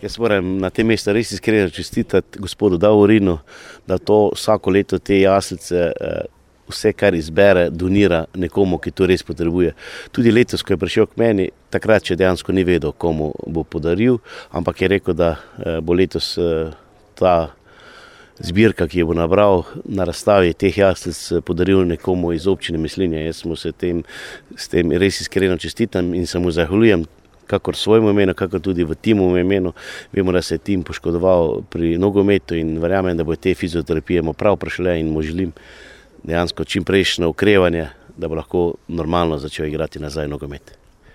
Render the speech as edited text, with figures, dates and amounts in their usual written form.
Jaz moram na tem mestu res iskreno čestitati gospodu Davorinu, da to vsako leto te jaslice, vse, kar izbere, donira nekomu, ki to res potrebuje. Tudi letos, ko je prišel k meni, takrat še dejansko ni vedel, komu bo podaril, ampak je rekel, da bo letos ta zbirka, ki jo bo nabral na razstavi teh jaslic, podaril nekomu iz občine Mislinja. Jaz mu se s tem res iskreno čestitam in se mu zahvaljujem, kakor svojemu imenu, kakor tudi v timovem imenu. Vemo, da se je tim poškodoval pri nogometu in verjamem, da bo te fizioterapije mu prav prišle in mu želim dejansko čimprejšnje okrevanje, da bo lahko normalno začel igrati nazaj nogomet.